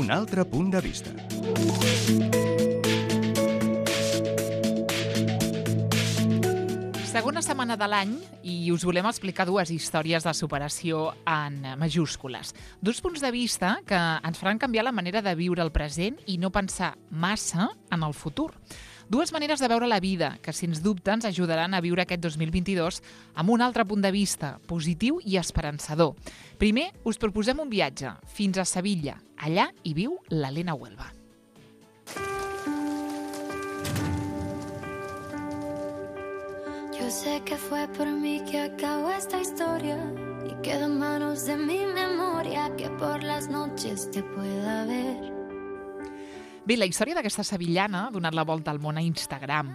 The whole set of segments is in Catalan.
Un altre punt de vista. Segona setmana de l'any i us volem explicar dues històries de superació en majúscules. Dos punts de vista que ens faran canviar la manera de viure el present i no pensar massa en el futur. Dues maneres de veure la vida que, sens dubte, ens ajudaran a viure aquest 2022 amb un altre punt de vista, positiu i esperançador. Primer, us proposem un viatge fins a Sevilla. Allà hi viu l'Helena Huelva. Yo sé que fue por mí que acabó esta historia y quedó en manos de mi memoria que por las noches te pueda ver. Bé, la història d'aquesta sevillana ha donat la volta al món a Instagram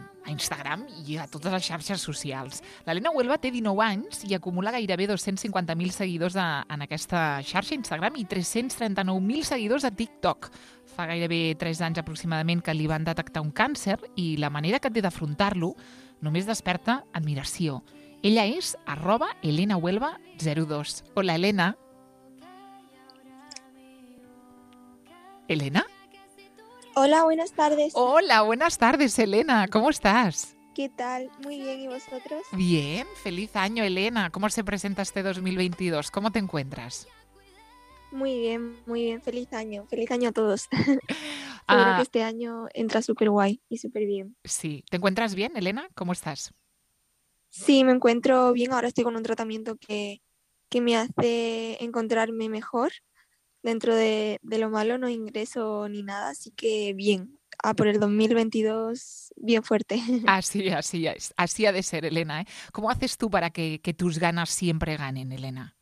i a totes les xarxes socials. L'Helena Huelva té 19 anys i acumula gairebé 250.000 seguidors en aquesta xarxa Instagram i 339.000 seguidors a TikTok. Fa gairebé 3 anys aproximadament que li van detectar un càncer i la manera que té d'afrontar-lo només desperta admiració. Ella és @HelenaHuelva02. Hola, Helena. ¿Helena? Hola, buenas tardes. Hola, buenas tardes, Helena. ¿Cómo estás? ¿Qué tal? Muy bien, ¿y vosotros? Bien, feliz año, Helena. ¿Cómo se presenta este 2022? ¿Cómo te encuentras? Muy bien, feliz año a todos. Seguro que este año entra súper guay y súper bien. Sí, ¿te encuentras bien, Helena? ¿Cómo estás? Sí, me encuentro bien, ahora estoy con un tratamiento que me hace encontrarme mejor. Dentro de lo malo no ingreso ni nada, así que bien. Por el 2022, bien fuerte. Así es. Así ha de ser, Helena, ¿eh? ¿Cómo haces tú para que tus ganas siempre ganen, Helena?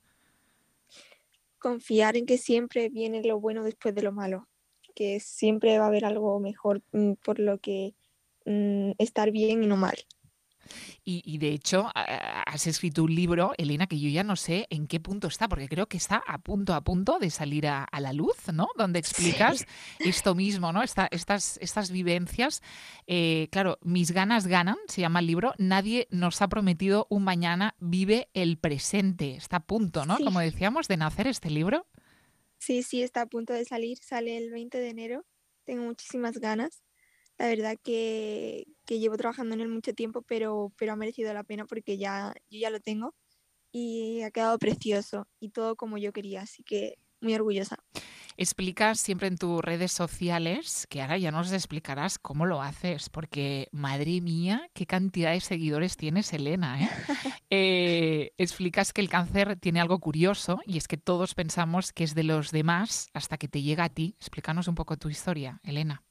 Confiar en que siempre viene lo bueno después de lo malo, que siempre va a haber algo mejor por lo que estar bien y no mal. Y de hecho, has escrito un libro, Helena, que yo ya no sé en qué punto está, porque creo que está a punto de salir a la luz, ¿no? Donde explicas esto mismo, ¿no? Estas vivencias. Claro, Mis ganas ganan, se llama el libro. Nadie nos ha prometido un mañana, vive el presente. Está a punto, ¿no? Sí. Como decíamos, de nacer este libro. Sí, está a punto de salir, sale el 20 de enero. Tengo muchísimas ganas. La verdad que llevo trabajando en él mucho tiempo, pero ha merecido la pena porque yo ya lo tengo y ha quedado precioso y todo como yo quería, así que muy orgullosa. Explicas siempre en tus redes sociales, que ahora ya nos explicarás cómo lo haces, porque madre mía, qué cantidad de seguidores tienes, Helena, ¿eh? Explicas que el cáncer tiene algo curioso y es que todos pensamos que es de los demás hasta que te llega a ti. Explícanos un poco tu historia, Helena.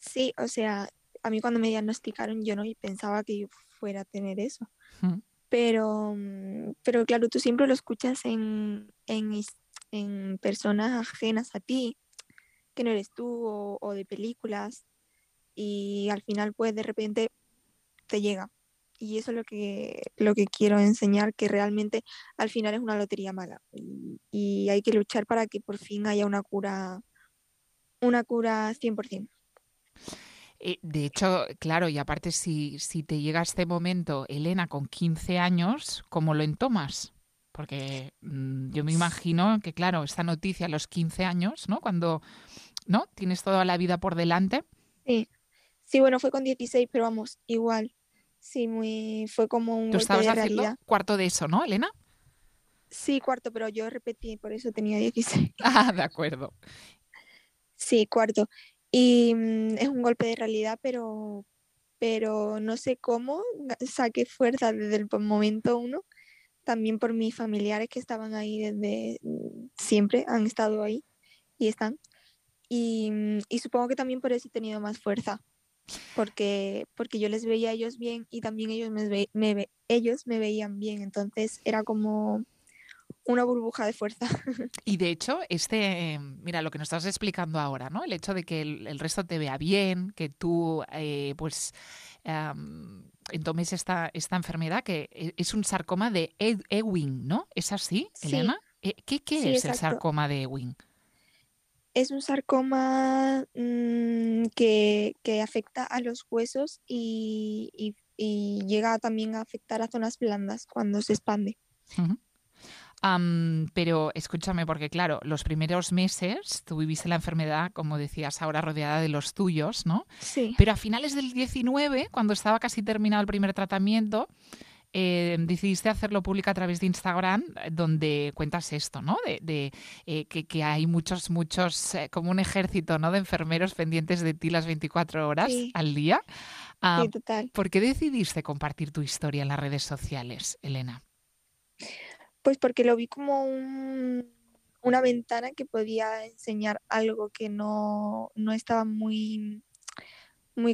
Sí, o sea, a mí cuando me diagnosticaron yo no pensaba que yo fuera a tener eso. Pero claro, tú siempre lo escuchas en personas ajenas a ti, que no eres tú, o de películas, y al final pues de repente te llega. Y eso es lo que quiero enseñar, que realmente al final es una lotería mala. Y hay que luchar para que por fin haya una cura 100%. De hecho, claro, y aparte si te llega este momento, Helena, con 15 años, ¿cómo lo entomas? Porque yo me imagino que, claro, esta noticia a los 15 años, ¿no? Cuando, ¿no? Tienes toda la vida por delante. Sí, bueno, fue con 16, pero vamos, igual. Sí, fue como un Tú golpe estabas de haciendo realidad. cuarto de eso, ¿no, Helena? Sí, cuarto, pero yo repetí, por eso tenía 16. Ah, de acuerdo. Sí, cuarto. Y es un golpe de realidad, pero no sé cómo saqué fuerza desde el momento uno. También por mis familiares que estaban ahí desde siempre, han estado ahí y están. Y supongo que también por eso he tenido más fuerza, porque yo les veía a ellos bien y también ellos ellos me veían bien. Entonces era como una burbuja de fuerza. Y de hecho, mira, lo que nos estás explicando ahora, ¿no? El hecho de que el resto te vea bien, que tú, entomes esta enfermedad, que es un sarcoma de Ewing, ¿no? ¿Es así, Helena? ¿Qué sí, es el exacto. sarcoma de Ewing? Es un sarcoma que afecta a los huesos y llega también a afectar a zonas blandas cuando se expande. Uh-huh. Pero escúchame, porque claro, los primeros meses tú viviste la enfermedad, como decías ahora, rodeada de los tuyos, ¿no? Sí. Pero a finales del 19, cuando estaba casi terminado el primer tratamiento, decidiste hacerlo público a través de Instagram, donde cuentas esto, ¿no? Que hay muchos, como un ejército, ¿no? De enfermeros pendientes de ti las 24 horas al día. Sí, total. ¿Por qué decidiste compartir tu historia en las redes sociales, Elena? Pues porque lo vi como una ventana que podía enseñar algo que no estaba muy,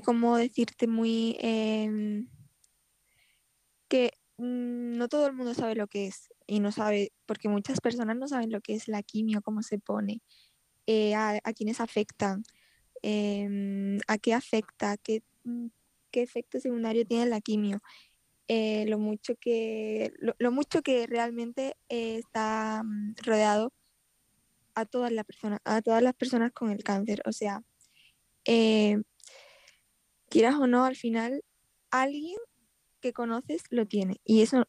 ¿cómo decirte? Que no todo el mundo sabe lo que es y no sabe, porque muchas personas no saben lo que es la quimio, cómo se pone, a quiénes afectan, a qué afecta, qué efecto secundario tiene la quimio. Lo mucho que realmente está rodeado a todas las personas con el cáncer. O sea, quieras o no, al final alguien que conoces lo tiene, y eso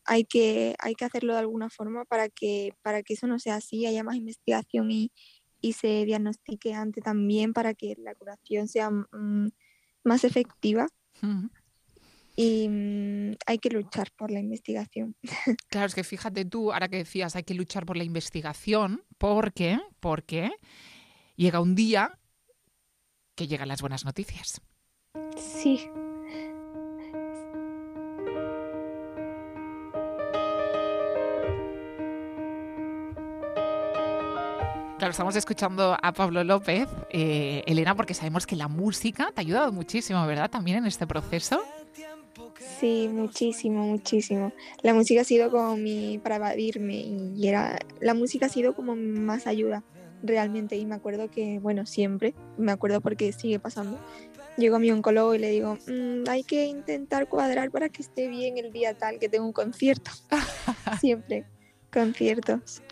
hay que hacerlo de alguna forma para que eso no sea así, haya más investigación y se diagnostique antes también, para que la curación sea más efectiva. Y hay que luchar por la investigación. Claro, es que fíjate tú, ahora que decías, hay que luchar por la investigación, porque llega un día que llegan las buenas noticias. Sí. Claro, estamos escuchando a Pablo López, Elena, porque sabemos que la música te ha ayudado muchísimo, ¿verdad? También en este proceso. Sí, muchísimo. La música ha sido como para evadirme, y la música ha sido como más ayuda realmente. Y me acuerdo que, bueno, siempre, me acuerdo porque sigue pasando, llego a mi oncólogo y le digo, hay que intentar cuadrar para que esté bien el día tal, que tengo un concierto. Siempre, conciertos.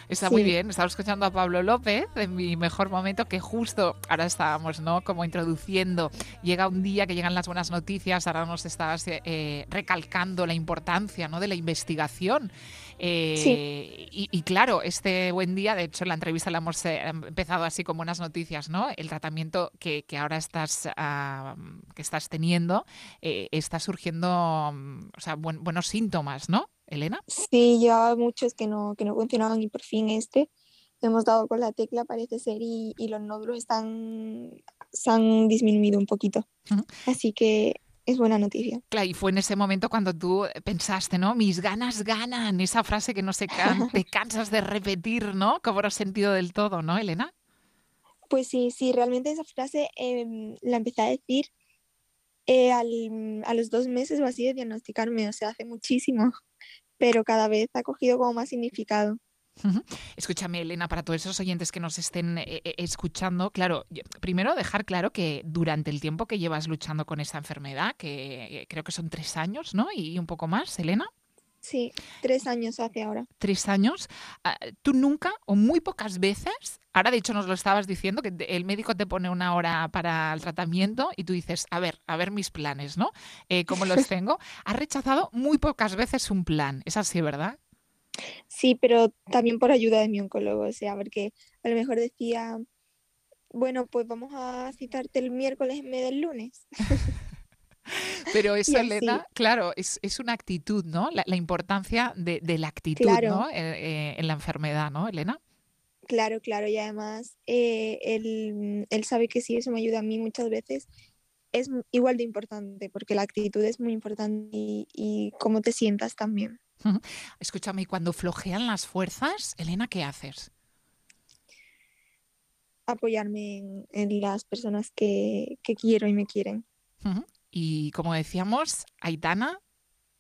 Está muy bien, estaba escuchando a Pablo López en mi mejor momento, que justo ahora estábamos, ¿no?, como introduciendo, llega un día que llegan las buenas noticias, ahora nos estabas recalcando la importancia, ¿no?, de la investigación. Y claro, este buen día, de hecho en la entrevista la hemos empezado así con buenas noticias, ¿no? El tratamiento que ahora estás teniendo, está surgiendo, o sea, buenos síntomas, ¿no, Elena? Sí, llevaba muchos que no funcionaban, y por fin hemos dado con la tecla, parece ser, y los nódulos se han disminuido un poquito. Uh-huh. Así que es buena noticia. Claro, y fue en ese momento cuando tú pensaste, ¿no? Mis ganas ganan, esa frase que no te cansas de repetir, ¿no? Cobró sentido del todo, ¿no, Elena? Pues sí, realmente esa frase la empecé a decir a los 2 meses o así de diagnosticarme, o sea, hace muchísimo, pero cada vez ha cogido como más significado. Escúchame, Elena, para todos esos oyentes que nos estén escuchando, claro, primero dejar claro que durante el tiempo que llevas luchando con esta enfermedad, que creo que son 3 años, ¿no? Y un poco más, Elena. Sí, 3 años hace ahora. 3 años. Tú nunca o muy pocas veces, ahora de hecho nos lo estabas diciendo, que el médico te pone una hora para el tratamiento y tú dices, a ver mis planes, ¿no? ¿Cómo los tengo? Has rechazado muy pocas veces un plan, es así, ¿verdad? Sí, pero también por ayuda de mi oncólogo, o sea, porque a lo mejor decía, bueno, pues vamos a citarte el miércoles en vez del lunes. Pero eso, Elena, claro, es una actitud, ¿no? La importancia de la actitud, claro, ¿no? En la enfermedad, ¿no, Elena? Claro, y además él sabe que si eso me ayuda a mí muchas veces, es igual de importante, porque la actitud es muy importante y cómo te sientas también. Escúchame, y cuando flojean las fuerzas, Elena, ¿qué haces? Apoyarme en las personas que quiero y me quieren. Y como decíamos, Aitana,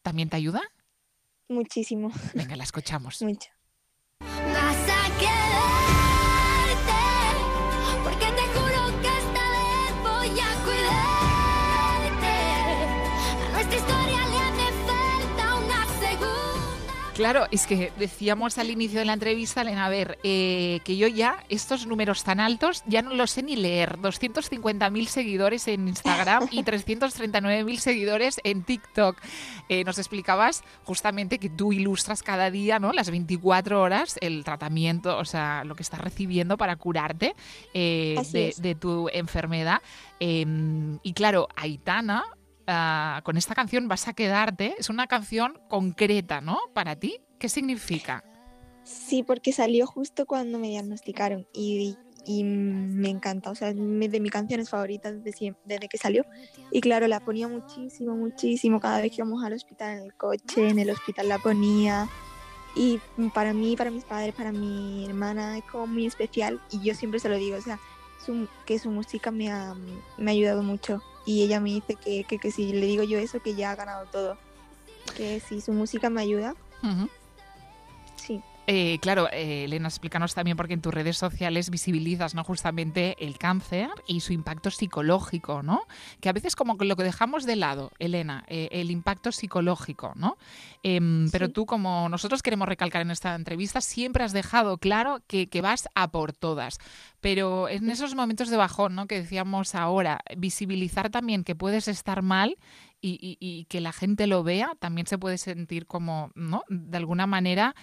¿también te ayuda? Muchísimo. Venga, la escuchamos. Mucho. Vas a quedarte, porque te juro que esta vez voy a cuidarte. A nuestra historia le hace falta una segunda Claro, es que decíamos al inicio de la entrevista, Elena, a ver, que yo ya estos números tan altos ya no los sé ni leer. 250.000 seguidores en Instagram y 339.000 seguidores en TikTok. Nos explicabas justamente que tú ilustras cada día, ¿no?, las 24 horas, el tratamiento, o sea, lo que estás recibiendo para curarte de tu enfermedad. Y claro, Aitana... con esta canción vas a quedarte. Es una canción concreta, ¿no?, para ti. ¿Qué significa? Sí, porque salió justo cuando me diagnosticaron y me encanta. O sea, es de mis canciones favoritas desde que salió. Y claro, la ponía muchísimo, muchísimo. Cada vez que íbamos al hospital en el coche, en el hospital la ponía. Y para mí, para mis padres, para mi hermana es como muy especial. Y yo siempre se lo digo, o sea, que su música me ha ayudado mucho. Y ella me dice que si le digo yo eso, que ya ha ganado todo. Que si su música me ayuda. Uh-huh. Sí. Claro, Elena, explícanos también, porque en tus redes sociales visibilizas, ¿no?, justamente el cáncer y su impacto psicológico, ¿no? Que a veces como que lo que dejamos de lado, Elena, el impacto psicológico, ¿no? Pero tú, como nosotros queremos recalcar en esta entrevista, siempre has dejado claro que vas a por todas. Pero en esos momentos de bajón, ¿no?, que decíamos ahora, visibilizar también que puedes estar mal y que la gente lo vea, también se puede sentir como, ¿no?, de alguna manera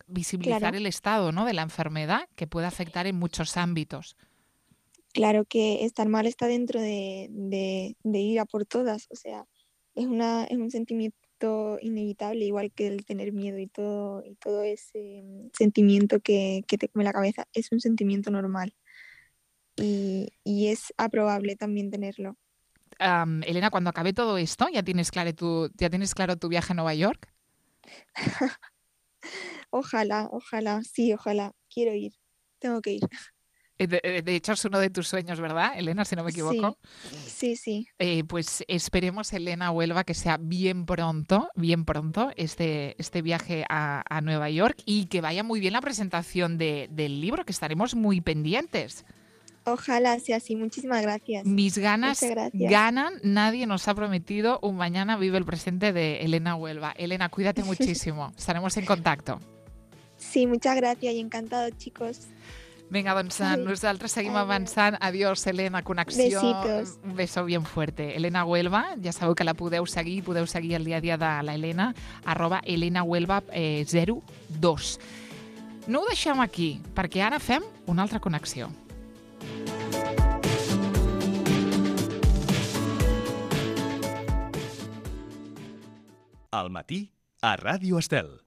visibilizar, claro, el estado, ¿no?, de la enfermedad, que puede afectar en muchos ámbitos. Claro, que estar mal está dentro de ir a por todas. O sea, es un sentimiento inevitable, igual que el tener miedo y todo ese sentimiento que te come la cabeza. Es un sentimiento normal y es aprobable también tenerlo. Elena, cuando acabe todo esto, ¿ya tienes claro tu viaje a Nueva York? Ojalá, sí, ojalá. Quiero ir, tengo que ir. De hecho, es uno de tus sueños, ¿verdad, Elena, si no me equivoco? Sí. Pues esperemos, Elena Huelva, que sea bien pronto este viaje a Nueva York, y que vaya muy bien la presentación del libro, que estaremos muy pendientes. Ojalá sea así. Muchísimas gracias. Mis ganas ganan. Nadie nos ha prometido un mañana vive el presente de Elena Huelva. Elena, cuídate muchísimo. Estaremos en contacto. Sí, muchas gracias i encantado, chicos. Vinga, doncs nosaltres seguim avançant. Adiós, Elena, connexió. Besitos. Un beso bien fuerte. Elena Huelva, ja sabeu que la podeu seguir el dia a dia de la Elena, @elenahuelva02. No ho deixem aquí, perquè ara fem una altra connexió. Al matí, a Ràdio Estel.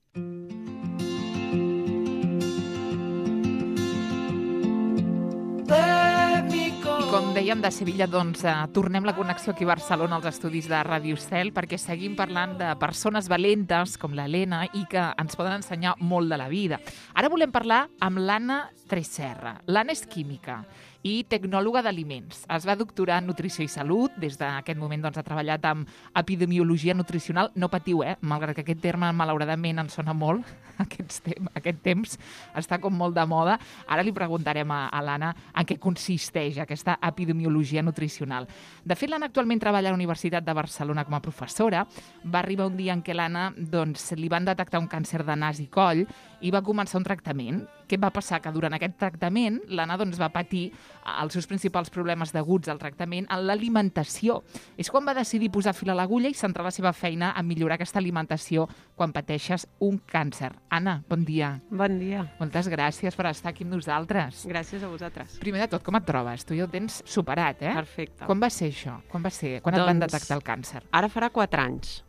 Com dèiem, de Sevilla, doncs, tornem la connexió aquí a Barcelona, als estudis de Ràdio Estel, perquè seguim parlant de persones valentes com l'Helena i que ens poden ensenyar molt de la vida. Ara volem parlar amb l'Anna Tresserra. L'Anna és química i tecnòloga d'aliments. Es va doctorar en nutrició i salut. Des d'aquest moment doncs, ha treballat amb epidemiologia nutricional. No patiu, malgrat que aquest terme malauradament ens sona molt. Aquest temps està com molt de moda. Ara li preguntarem a l'Anna en què consisteix aquesta epidemiologia nutricional. De fet, l'Anna actualment treballa a la Universitat de Barcelona com a professora. Va arribar un dia en què l'Anna li van detectar un càncer de nas i coll i va començar un tractament. Què va passar? Que durant aquest tractament l'Anna va patir els seus principals problemes deguts al tractament en l'alimentació. És quan va decidir posar fil a l'agulla i centrar la seva feina a millorar aquesta alimentació quan pateixes un càncer. Anna, bon dia. Bon dia. Moltes gràcies per estar aquí amb nosaltres. Gràcies a vosaltres. Primer de tot, com et trobes? Tu ja ho tens superat, eh? Perfecte. Quan va ser això? Quan et van detectar el càncer? Ara farà 4 anys,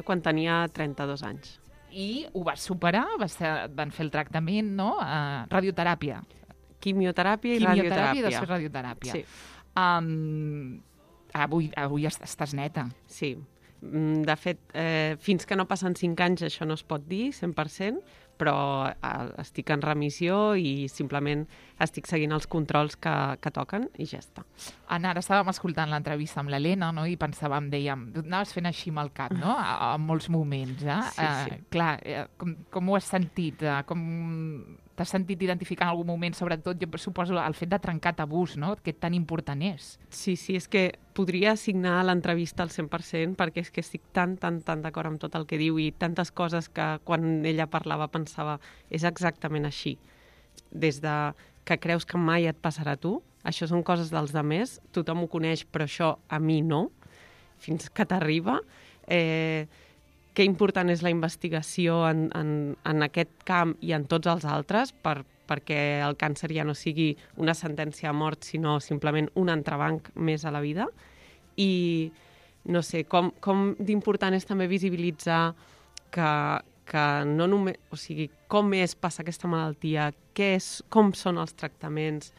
quan tenia 32 anys. I ho vas superar? Van fer el tractament, no? Radioteràpia. Quimioteràpia i radioteràpia. I després radioteràpia. Sí. Avui estàs neta. Sí. De fet, fins que no passen 5 anys això no es pot dir 100%, però estic en remissió i simplement estic seguint els controls que toquen i ja està. Anna, ara estàvem escoltant l'entrevista amb l'Helena, no? I pensàvem, dèiem, anaves fent així amb el cap, no? En molts moments, Sí. Clar, com ho has sentit? T'has sentit identificar en algun moment, sobretot, jo suposo, el fet de trencar tabús, no? Que tan important és. Sí, és que podria assignar l'entrevista al 100% perquè és que estic tan d'acord amb tot el que diu i tantes coses que quan ella parlava pensava és exactament així. Des de que creus que mai et passarà a tu, això són coses dels demés, tothom ho coneix però això a mi no, fins que t'arriba. Que important és la investigació en aquest camp i en tots els altres perquè el càncer ja no sigui una sentència a mort, sinó simplement un entrebanc més a la vida. I no sé, com d'important és també visibilitzar que no només, o sigui, com és passar aquesta malaltia, com són els tractaments.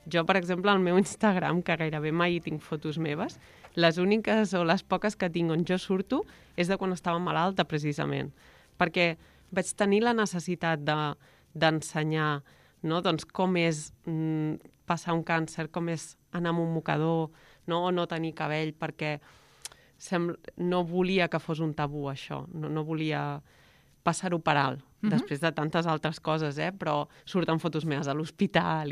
Jo, per exemple, al meu Instagram, que gairebé mai hi tinc fotos meves, les úniques o les poques que tinc on jo surto és de quan estava malalta, precisament. Perquè vaig tenir la necessitat d'ensenyar, no? Doncs com és passar un càncer, com és anar amb un mocador, no? O no tenir cabell, perquè no volia que fos un tabú, això. No volia passar-ho per alt, després de tantes altres coses, però surten fotos meves a l'hospital.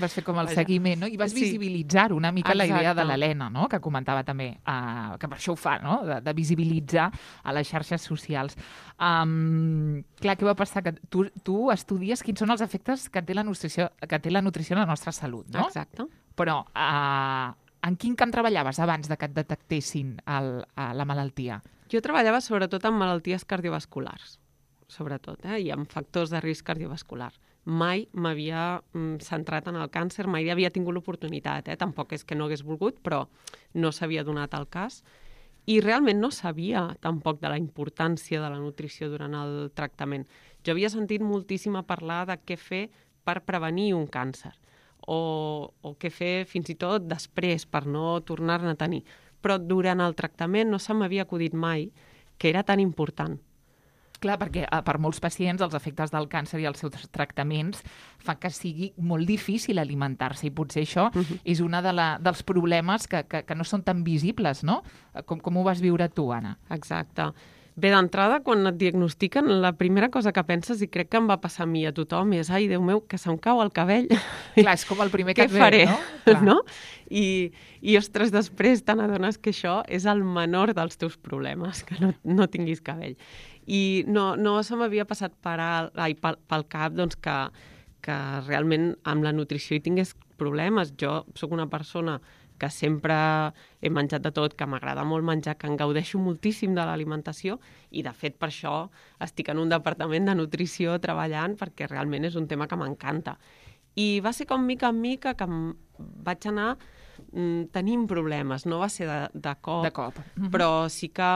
Vas fer com el seguiment, no? I vas visibilitzar una mica la idea de l'Helena, no? Que comentava també, que per això ho fa, no? De visibilitzar a les xarxes socials. Clar, què va passar? Que tu estudies quins són els efectes que té la nutrició en la nostra salut, no? Exacte. Però en quin camp treballaves abans de que et detectessin la malaltia? Jo treballava sobretot en malalties cardiovasculars, sobretot, i en factors de risc cardiovascular. Mai m'havia centrat en el càncer, mai havia tingut l'oportunitat, tampoc és que no hagués volgut, però no s'havia donat el cas. I realment no sabia tampoc de la importància de la nutrició durant el tractament. Jo havia sentit moltíssim a parlar de què fer per prevenir un càncer o què fer fins i tot després per no tornar-ne a tenir. Però durant el tractament no se m'havia acudit mai que era tan important. Clar, perquè per molts pacients els efectes del càncer i els seus tractaments fan que sigui molt difícil alimentar-se i potser això és un dels problemes que no són tan visibles, no? Com ho vas viure tu, Anna? Exacte. Bé, d'entrada, quan et diagnostiquen, la primera cosa que penses, i crec que em va passar a mi a tothom, és ai, Déu meu, que se'm cau el cabell. Clar, és com el primer que et ve, faré? No? No? I ostres, després te n'adones que això és el menor dels teus problemes, que no tinguis cabell. I no se m'havia passat pel cap doncs, que realment amb la nutrició hi tingués problemes. Jo sóc una persona que sempre he menjat de tot, que m'agrada molt menjar, que en gaudeixo moltíssim de l'alimentació i, de fet, per això estic en un departament de nutrició treballant perquè realment és un tema que m'encanta. I va ser com mica en mica que vaig anar tenint problemes. No va ser de cop. Però sí que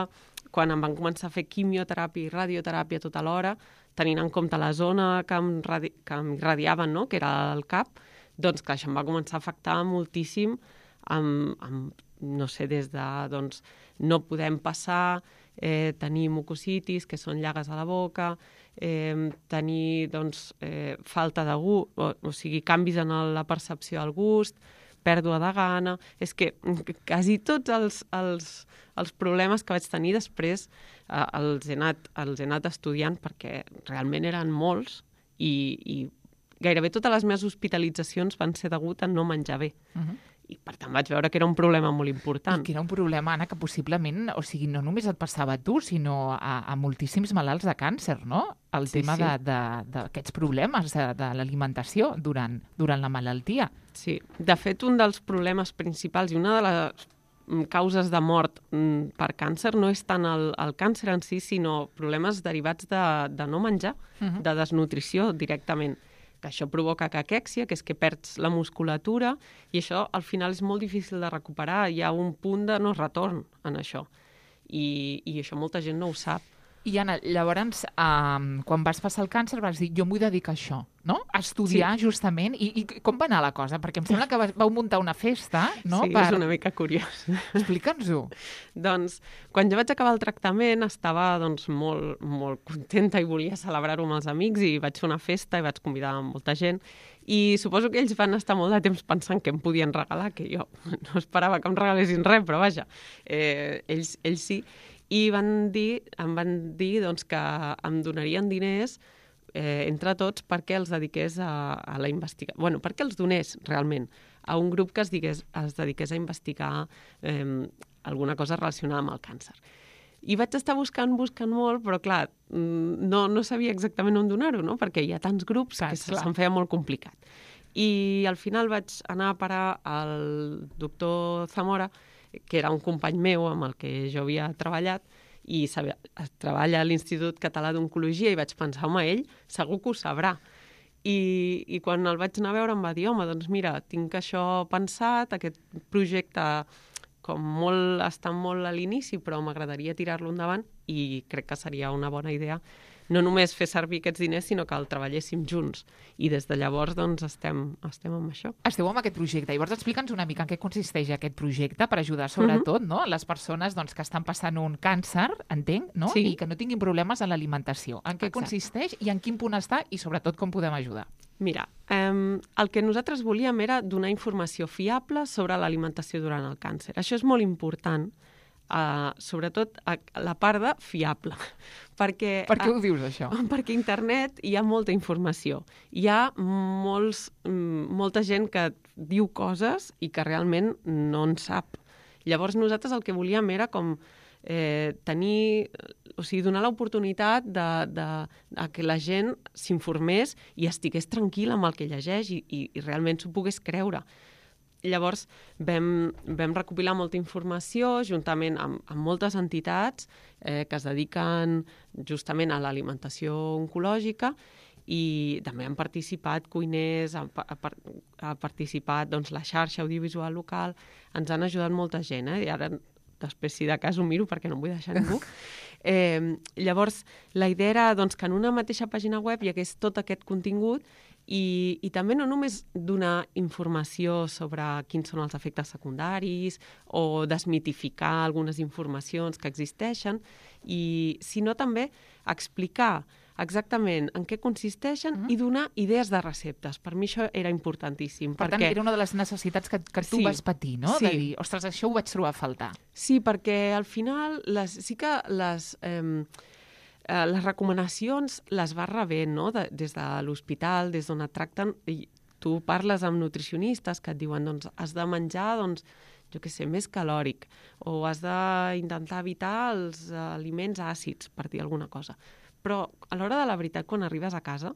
quan em van començar a fer quimioteràpia i radioteràpia tota l'hora, tenint en compte la zona que em radiaven, no? Que era el cap, doncs clar, això em va començar a afectar moltíssim no sé, des de no podem passar, tenir mucositis, que són llagues a la boca, tenir falta de gust, o sigui, canvis en la percepció del gust, pèrdua de gana. És que quasi tots els problemes que vaig tenir després els he anat estudiant perquè realment eren molts i gairebé totes les meves hospitalitzacions van ser degut a no menjar bé. I per tant vaig veure que era un problema molt important. I que era un problema, Anna, que possiblement, o sigui, no només et passava a tu, sinó a moltíssims malalts de càncer, no? El tema d'aquests problemes de l'alimentació durant la malaltia. Sí, de fet, un dels problemes principals i una de les causes de mort per càncer no és tant el càncer en si, sinó problemes derivats de no menjar, de desnutrició directament. Que això provoca caquèxia, que és que perds la musculatura, i això al final és molt difícil de recuperar. Hi ha un punt de no retorn en això. I això molta gent no ho sap. I Anna, llavors, quan vas passar el càncer vas dir, jo m'ho dedico a això, no? A estudiar justament. I com va anar la cosa? Perquè em sembla que vau muntar una festa, no? Sí, és una mica curiós. Explica'ns-ho. Doncs, quan jo vaig acabar el tractament, estava molt, molt contenta i volia celebrar-ho amb els amics i vaig fer una festa i vaig convidar molta gent. I suposo que ells van estar molt de temps pensant què em podien regalar, que jo no esperava que em regalessin res, però vaja, ells sí. I em van dir doncs, que em donarien diners entre tots perquè els dediqués a la investigació. Bueno, perquè els donés realment a un grup que es dediqués a investigar alguna cosa relacionada amb el càncer. I vaig estar buscant molt, però clar, no sabia exactament on donar-ho, no? Perquè hi ha tants grups que se'm feia molt complicat. I al final vaig anar a parar al doctor Zamora, que era un company meu amb el que jo havia treballat, i treballa a l'Institut Català d'Oncologia, i vaig pensar, home, ell segur que ho sabrà. I quan el vaig anar a veure em va dir, home, doncs mira, tinc això pensat, aquest projecte està molt a l'inici, però m'agradaria tirar-lo endavant i crec que seria una bona idea no només fer servir aquests diners, sinó que el treballéssim junts. I des de llavors doncs, estem amb això. Esteu amb aquest projecte. Llavors explica'ns una mica en què consisteix aquest projecte per ajudar sobretot les persones que estan passant un càncer, entenc, no? Sí. I que no tinguin problemes en l'alimentació. En què consisteix i en quin punt està i sobretot com podem ajudar? Mira, el que nosaltres volíem era donar informació fiable sobre l'alimentació durant el càncer. Això és molt important, sobretot la part de fiable. Per què ho dius, això? Perquè a internet hi ha molta informació. Hi ha molta gent que diu coses i que realment no en sap. Llavors nosaltres el que volíem era com donar l'oportunitat de que la gent s'informés i estigués tranquil·la amb el que llegeix i realment s'ho pogués creure. Llavors vam recopilar molta informació juntament amb moltes entitats que es dediquen justament a l'alimentació oncològica i també han participat cuiners, ha participat la xarxa audiovisual local, ens han ajudat molta gent, i ara després si de cas ho miro perquè no em vull deixar ningú. Llavors la idea era que en una mateixa pàgina web hi hagués tot aquest contingut i també no només donar informació sobre quins són els efectes secundaris o desmitificar algunes informacions que existeixen, sinó també explicar exactament en què consisteixen i donar idees de receptes. Per mi això era importantíssim. Per tant, era una de les necessitats que tu vas patir, no? Sí. De dir, ostres, això ho vaig trobar a faltar. Sí, perquè al final sí que les recomanacions les vas rebent, no? Des de l'hospital, des d'on et tracten, i tu parles amb nutricionistes que et diuen has de menjar, jo què sé, més calòric, o has d'intentar evitar els aliments àcids, per dir alguna cosa. Però a l'hora de la veritat, quan arribes a casa,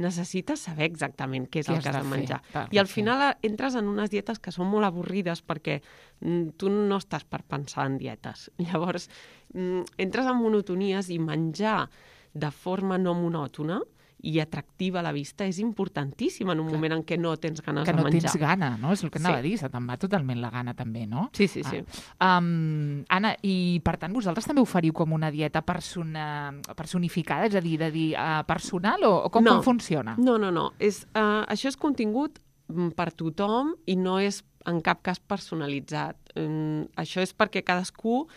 necessites saber exactament què és el que has de menjar. I al final entres en unes dietes que són molt avorrides perquè tu no estàs per pensar en dietes. Llavors, entres en monotonies i menjar de forma no monòtona i atractiva a la vista és importantíssim en un moment en què no tens ganes de menjar. Que no tens gana, no? És el que anava a dir, se te'n va totalment la gana també, no? Sí. Anna, i per tant vosaltres també oferiu com una dieta personificada, és a dir, personal o com funciona? No. Això és contingut per tothom i no és en cap cas personalitzat. Això és perquè cadascú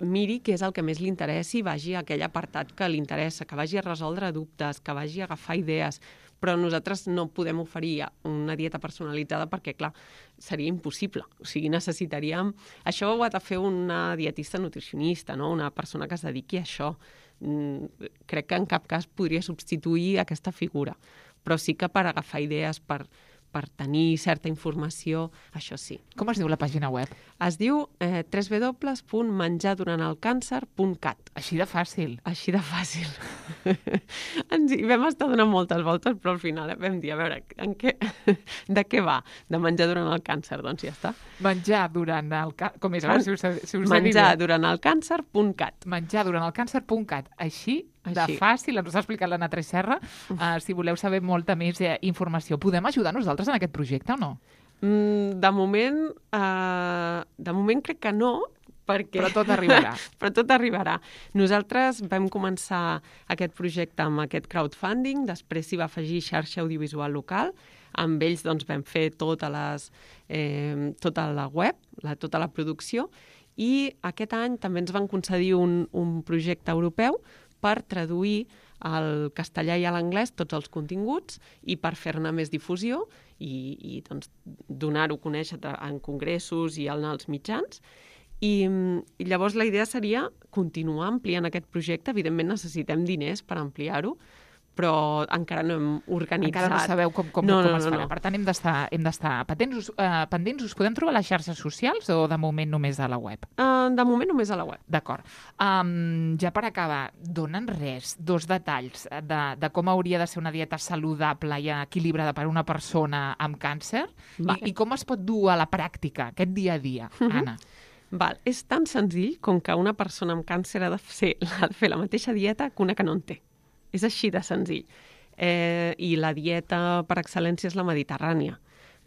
miri què és el que més li interessi i vagi a aquell apartat que li interessa, que vagi a resoldre dubtes, que vagi a agafar idees. Però nosaltres no podem oferir una dieta personalitzada perquè, clar, seria impossible. O sigui, necessitaríem... Això ho ha de fer una dietista nutricionista, no? Una persona que es dediqui a això. Crec que en cap cas podria substituir aquesta figura. Però sí que per agafar idees, per tenir certa informació, això sí. Com es diu la pàgina web? Es diu www.menjarduranthelcàncer.cat. Així de fàcil. Així de fàcil. Hi vam estar donant moltes voltes, però al final vam dir, a veure, de què va? De menjar durant el càncer, doncs ja està. Menjar durant el càncer... Com és? Menjarduranthelcàncer.cat. Menjarduranthelcàncer.cat. Així de fàcil, ens ho ha explicat l'Anna Tresserra. Si voleu saber molta més informació, podem ajudar nosaltres en aquest projecte o no? De moment crec que no, perquè... Però tot arribarà. Però tot arribarà. Nosaltres vam començar aquest projecte amb aquest crowdfunding, després s'hi va afegir xarxa audiovisual local, amb ells vam fer tota la web, tota la producció, i aquest any també ens van concedir un projecte europeu per traduir al castellà i a l'anglès tots els continguts i per fer-ne més difusió i donar-ho a conèixer en congressos i en els mitjans. I llavors la idea seria continuar ampliant aquest projecte. Evidentment necessitem diners per ampliar-ho, però encara no hem organitzat. Encara no sabeu com es farà. No. Per tant, hem d'estar pendents. Us podem trobar a les xarxes socials o de moment només a la web? De moment només a la web. D'acord. Ja per acabar, donen dos detalls de com hauria de ser una dieta saludable i equilibrada per a una persona amb càncer i com es pot dur a la pràctica aquest dia a dia, Anna? Val. És tan senzill com que una persona amb càncer ha de fer la mateixa dieta que una que no en té. És així de senzill. I la dieta per excel·lència és la mediterrània.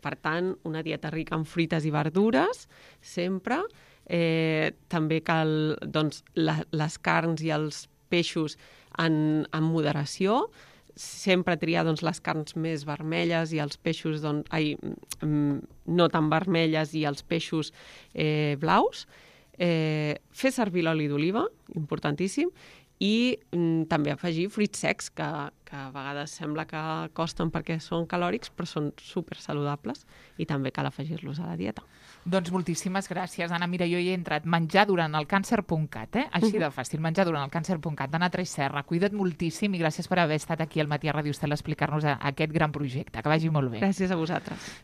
Per tant, una dieta rica en fruites i verdures, sempre. També cal les carns i els peixos en moderació. Sempre triar les carns més vermelles i els peixos no tan vermelles i els peixos blaus. Fer servir l'oli d'oliva, importantíssim, i també afegir fruits secs, que a vegades sembla que costen perquè són calòrics, però són supersaludables i també cal afegir-los a la dieta. Doncs moltíssimes gràcies, Anna. Mira, jo hi he entrat menjarduranthelcàncer.cat, així de fàcil, menjarduranthelcàncer.cat. Anna Tresserra, cuida't moltíssim i gràcies per haver estat aquí al Matí a Ràdio Estel a explicar-nos aquest gran projecte. Que vagi molt bé. Gràcies a vosaltres.